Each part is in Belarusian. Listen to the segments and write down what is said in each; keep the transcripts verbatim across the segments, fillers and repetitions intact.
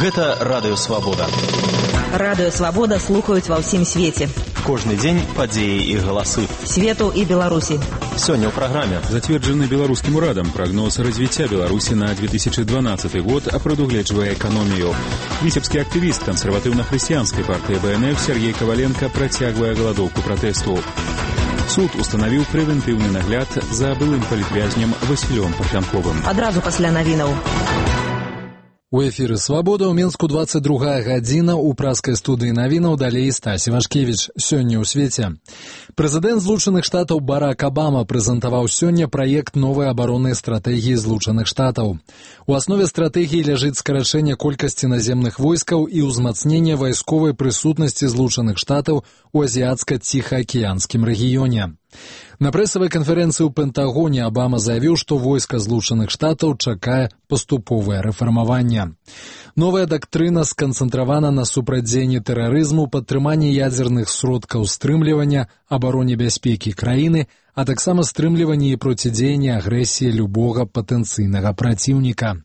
Гэта Радыё Свабода. Радыё Свабода слухаюць ва ўсім свеце. Кожны дзень падзеі і галасы. Свету і Беларусі. Сёння ў праграме. Зацверджаны беларускім урадам прогноз развіцця Беларусі на две тысячи дванадцаты год прадугледжвае эканомію. Віцебскі актывіст кансерватыўна-хрысціянскай партыі Бэ Эн Эф Сергей Коваленко працягвае галадоўку пратэсту. Суд устанавіў прэвентыўны нагляд за былым палітвязнем Васілём Парфянковым. Адразу пасля навінаў. У эфіры «Свабода» ў Мінску двадцать другая гадзіна, у праскай студыі навінаў далей Стасі Вашкевіч. Сёння ў свеце. Прэзідэнт Злучаных Штатаў Барак Абама прэзентаваў сёння праект новай абароннай стратэгіі Злучаных Штатаў. У аснове стратэгіі ляжыць скарачэнне колькасці наземных войскаў і ўзмацненне вайсковай прысутнасці Злучаных Штатаў у азіяцка-ціхаакіянскім рэгіёне. На прэсавай канферэнцыі ў Пентагоне Абама заявіў, што войска Злучаных Штатаў чакае паступовае рэфармаванне. Новая дактрына сканцэнтравана на супрацьдзеянні тэрарызму, падтрыманні ядзерных сродкаў стрымлівання, абароне бяспекі краіны, а таксама стрымліванні і процідзеянні агрэсіі любога патэнцыйнага праціўніка.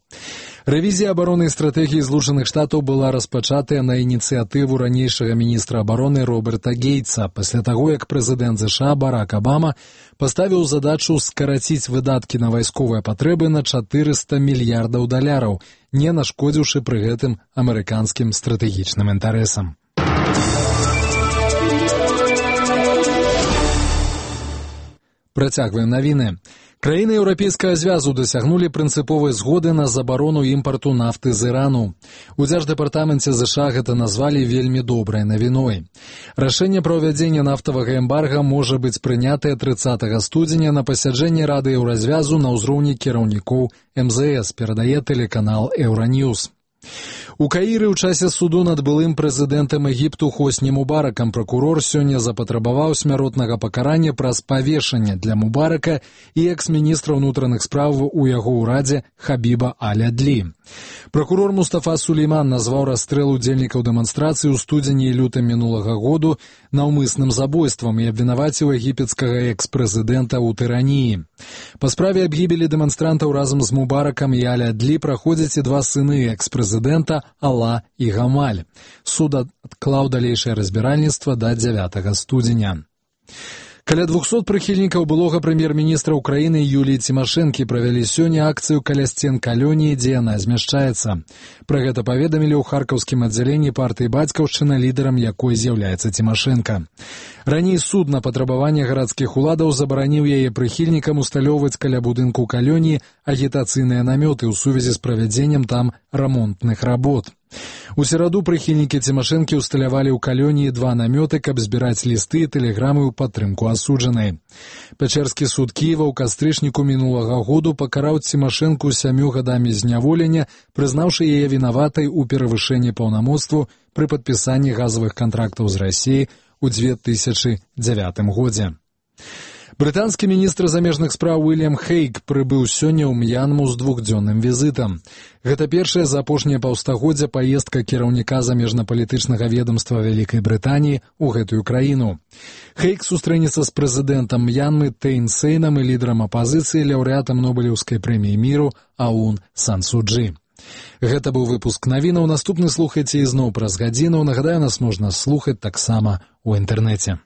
Рэвізія абароннай стратэгіі Злучаных Штатаў была распачатая на ініцыятыву ранейшага міністра абароны Роберта Гейтса, пасля таго, як прэзідэнт ЗША Барак Абама паставіў задачу скараціць выдаткі на вайсковыя патрэбы на чатырыста мільярдаў даляраў, не нашкодзіўшы пры гэтым амерыканскім стратэгічным інтарэсам. Працягваем навіны. Краіны Еўрапейскага звязу дасягнулі прынцыповай згоды на забарону імпарту нафты з Ірану. У Дзярждэпартаменце ЗША гэта назвалі вельмі добрай навіной. Рашэнне пра ўвядзенне нафтавага эмбарга можа быць прынятае трыццатага студзеня на пасяджэнні Рады Еўразвязу на ўзроўні кіраўнікоў эм зэ эс, перадае тэлеканал Еўраньюз. У Каіры ў часе суду над былым прэзідэнтам Егіпту Хосні Мубаракам пракурор сёння запатрабаваў смяротнага пакарання праз павешанне для Мубарака і экс-міністра ўнутраных спраў у яго ўрадзе Хабіба Аль-Адлі. Пракурор Мустафа Сулейман назваў расстрэл удзельнікаў дэманстрацыі ў студзені і лютым мінулага году наўмысным забойствам і абвінаваціў егіпецкага экс-прэзідэнта ў тыраніі. Па справе аб гібелі дэманстрантаў разам з Мубаракам і Аль-Адлі праходзяць і два сыны экс-прэзідэнта Алла і Гамаль. Суд адклаў далейшае разбіральніцтва да дзявятага студзеня. Каля двухсот прыхільнікаў былога прэм'ер-міністра Украіны Юліі Цімашэнкі правялі сёння акцыю каля сцен калоніі, дзе яна змяшчаецца. Пра гэта паведамілі ў харкаўскім аддзяленні партыі «Бацькаўшчына», лідарам якой з'яўляецца Цімашэнка. Раней суд на патрабаванне гарадскіх уладаў забараніў яе прыхільнікам усталёўваць каля будынку калоніі агітацыйныя намёты ў сувязі з правядзеннем там рамонтных работ. У сераду прыхільнікі Цімашэнкі усталявалі ў калоніі два намёты, каб збіраць лісты і тэлеграмы ў падтрымку асуджанай. Пячэрскі суд Кіева ў кастрычніку мінулага году пакараў Цімашэнку сямю гадамі зняволення, прызнаўшы яе вінаватай у перавышэнні паўнамоцтву пры падпісанні газавых кантрактаў з Расіяй у две тысячы дзявятым годзе. Брытанскі міністр замежных спраў Уільям Хейг прыбыў сёння ў М'янму з двухдзённым візітам. Гэта першая за апошняе паўстагоддзя паездка кіраўніка замежнапалітычнага ведамства Вялікай Брытаніі ў гэтую краіну. Хейг сустрэнецца з прэзідэнтам М'янмы Тэйн Сейнам і лідарам апазіцыі, лаўрэатам Нобелеўскай прэміі міру Аун Сан Су Чжы. Гэта быў выпуск навінаў. Наступны слухайце ізноў праз гадзіну. Нагадаю, нас можна слухаць таксама ў інтэрнэце.